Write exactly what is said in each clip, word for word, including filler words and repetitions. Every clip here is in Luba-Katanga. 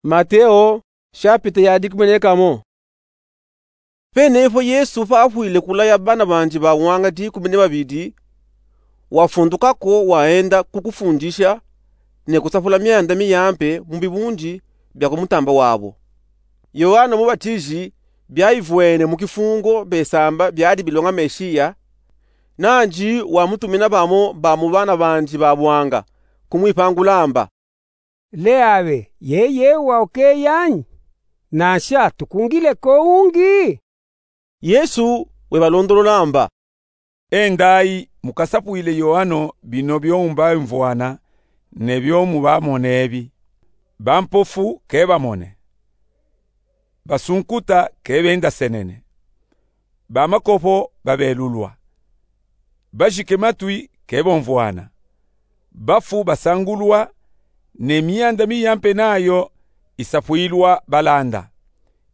Mateo, shapita ya dikumi ne kamo. Pene po Yesu pafwile kulaya bana bandi bawanga dikumi ne babidi, wafunduka ko, waenda ku kufundisha ne kusapula mianda miyampe mu bibundi bia ku mutamba wabo. Yoano Mubatiji biaivwene mu kifungo besamba biadi bilonga Meshiya, nandi wamutumina bamo ba mu bana bandi babwanga kumwipangula amba: Leabe, yeye wa ukeyanyi? Nansha tukungile ko ungi? Yesu webalondolola amba: Endayi mukasapwile Yoano bino byo mubamvwana ne byo mubamona ebi: bampofu ke bamone, basunkuta ke bendasenene, bamakopo babelulwa, bajike matwi ke bomvwana, bafu basangulwa, ne mianda miyampe nayo isapwilwa balanda.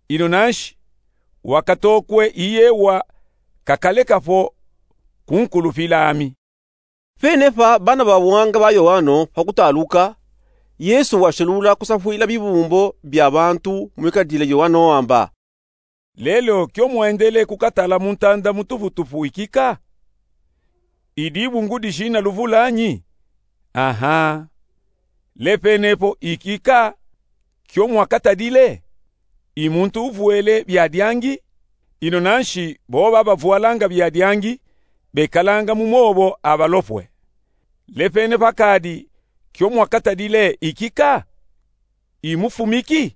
Ino nanshi, wakatokwe iyewa kakaleka po kunkulupila ami. Pene pa bana bawanga ba Yoano pakutaluka, Yesu washelula kusapwila bibumbo bia bantu mwikadile Yoano amba: Lelo kyo mwendele kukatala muntanda mutuputupu ikika? Idi bungu dijina luvula nyi? Aha. Le pene po ikika kyo mwakatadile? I muntu uvwele biadiangi? Ino nanshi bo babavwalanga biadiangi bekalanga mu mobo abalopwe. Le pene pa kadi kyo mwakatadile ikika? I mufumiki?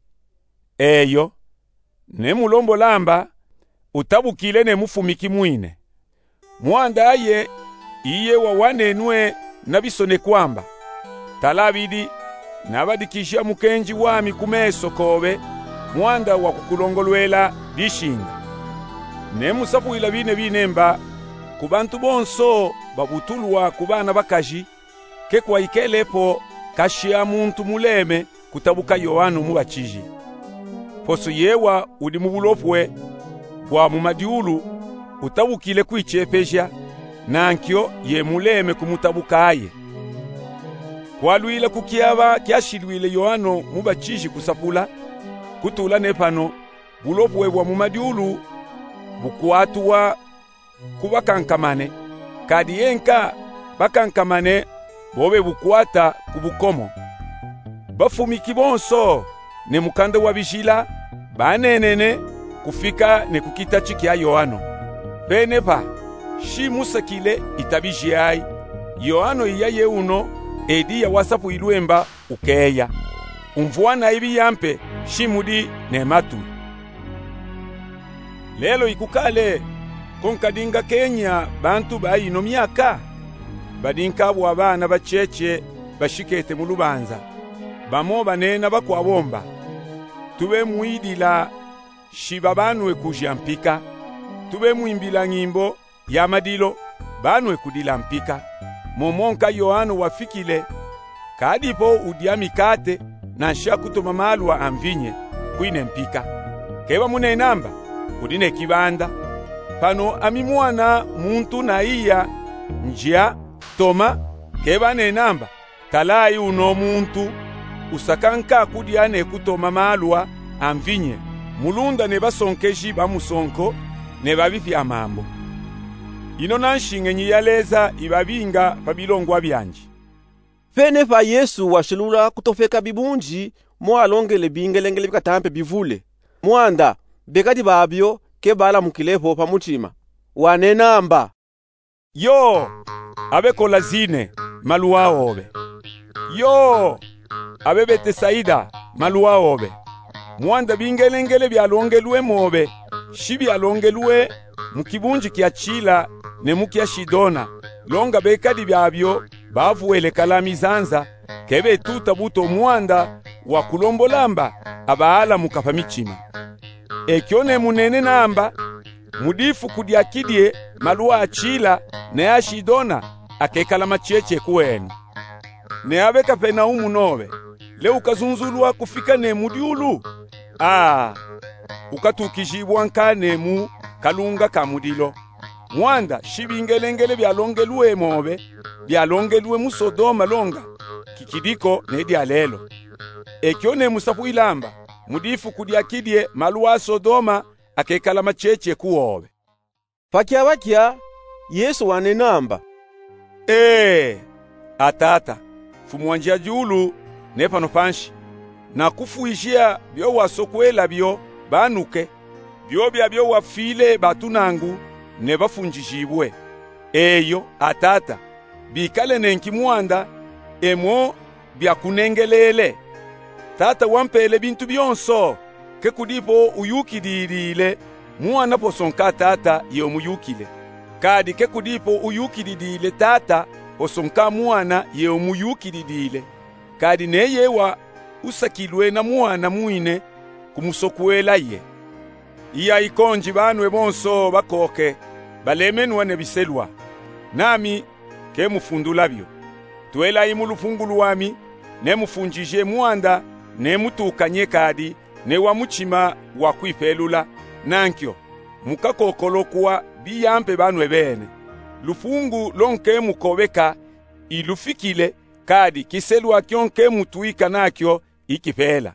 Eyo. Ne mulombola amba, utabukile ne mufumiki mwine. Mwanda aye iyewa wanenwe na bisonekwa amba: Tala bidi, nabadikija mukenji wami ku meso kobe, mwanda wa kukulongolwela dishinga. Ne musapwila bine bine mba, ku bantu bonso babutulwa ku bana bakaji, ke kwaikele po kashi a muntu muleme kutabuka Yoano Mubatiji. Poso yewa udi mu bulopwe bwa mu madiulu utabukile kwichepeja, nankyo ye muleme kumutabuka aye. Kwalwila ku kiaba kyashilwile Yoano Mubatiji kusapula, kutula ne pano, bulopwe bwa mu madiulu bukwatuwa ku bakankamane, kadi ye nka bakankamane bo bebukwata ku bukomo. Bafumiki bonso ne mukanda wa bijila banenene kufika ne ku kitachi kya Yoano. Pene pa, shi musakile itabiji ayi. Yoano iya ye uno, ediya wasapwilwe mba ukeya. Umvwana ibi yampe, shi mudi ne matwi. Lelo ikukale ko nkadinga kenya bantu ba ino myaka? Badinka bwa bana bacheche bashikete mu lubanza. Bamo banena bakwabo mba: Tube mwidila, shi babanwe kuja mpika. Tube mwimbila nyimbo ya madilo, banwe kudila mpika. Momo nka Yoano wafikile, kadipo udya mikate, nansha kutoma malwa a mvinye, kwine mpika. Ke bamunena mba: Udi ne kibanda. Pano ami Mwana muntu naiya, ndya, toma, ke banena mba: Talayi uno muntu usaka nka kudya ne kutoma malwa a mvinye, mulunda ne basonkeji ba musonko ne babipi amambo. Ino nanshingenyi ya Leza ibabinga pa bilongwa byandi. Pene pa Yesu washilula kutofeka bibundi mo alongele bingelengele bikatampe bivule. Mwanda, bekadi babyo ke balamukilepo pa mutima. Wanena mba: Yo, abe Kolazine, maluwa obe! Yo, abe Betesaida, maluwa obe! Mwanda bingelengele byalongelwe mobe, shi byalongelwe mu kibundi kya Chila ne mu kya Shidona, longa bekadi babyo bavwele kala mizanza, ke betuta buto mwanda wa kulombola mba abaalamuka pa mitima. Ekyo ne munene namba, mu difuku dya kidye maluwa a Chila ne a Shidona akekala macheche kwenu. Ne abe Kapenaumu nobe, le ukazunzulwa kufika ne mu dyulu? Aa, ukatukijibwa nka ne mu kalunga ka mudilo. Mwanda shi bingelengele byalongelwe mobe byalongelwe mu Sodoma longa kikidiko ne dya lelo. Ekyo nemusapwila amba, mu difuku dyakidye malu a Sodoma akekala macheche ku wowe. Pakyabakya, Yesu wanena amba: Ee, a Tata, Mfumu wa njiajulu ne pano panshi, nakufwijiya byo wasokwela byo banuke, byobya byo wafwile batunangu ne bafunjijibwe. Eyo, a Tata, bikale nenki mwanda, e mo byakunengeleele. Tata wampele bintu byonso, ke kudipo uyukidilile Mwana posonka Tata ye umuyukile, kadi ke kudipo uyukidilile Tata posonka Mwana ye umuyukidilile, kadi neye wa usakilwe na Mwana mwine kumusokwela ye. Iya ikonji banwe bonso bakoke, balemenwa ne biselwa, nami ke mufundula byo. Twelayi mu lupungu lwami, ne mufunjije mwanda, ne mutukanye kadi ne wa muchima wa kwipelula, nankyo mukakokolokwa biyampe banwe bene. Lupungu lo nke mukobeka ilufikile, kadi kiselwa kyo nke mutwika nakyo ikipela.